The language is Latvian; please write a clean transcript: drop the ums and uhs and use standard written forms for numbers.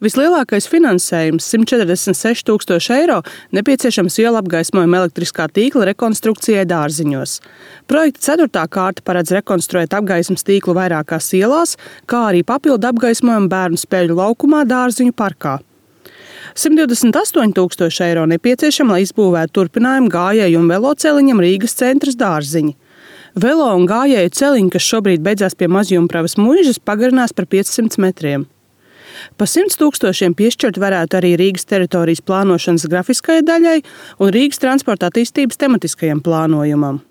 Vislielākais finansējums – 146 000 eiro nepieciešams ielu apgaismojuma elektriskā tīkla rekonstrukcijai Dārziņos. Projekta 4. kārta paredz rekonstruēt apgaismas tīklu vairākās ielās, kā arī papildu apgaismojumu bērnu spēļu laukumā Dārziņu parkā. 128 000 eiro nepieciešama, lai izbūvētu turpinājumu gājēju un veloceliņam Rīgas centrs Dārziņi. Velo un gājēju celiņi, kas šobrīd beidzās pie Mazjumpravas muižas, pagarinās par 500 metriem. Pa 100 000 piešķirt varētu arī Rīgas teritorijas plānošanas grafiskajai daļai un Rīgas transporta attīstības tematiskajam plānojumam.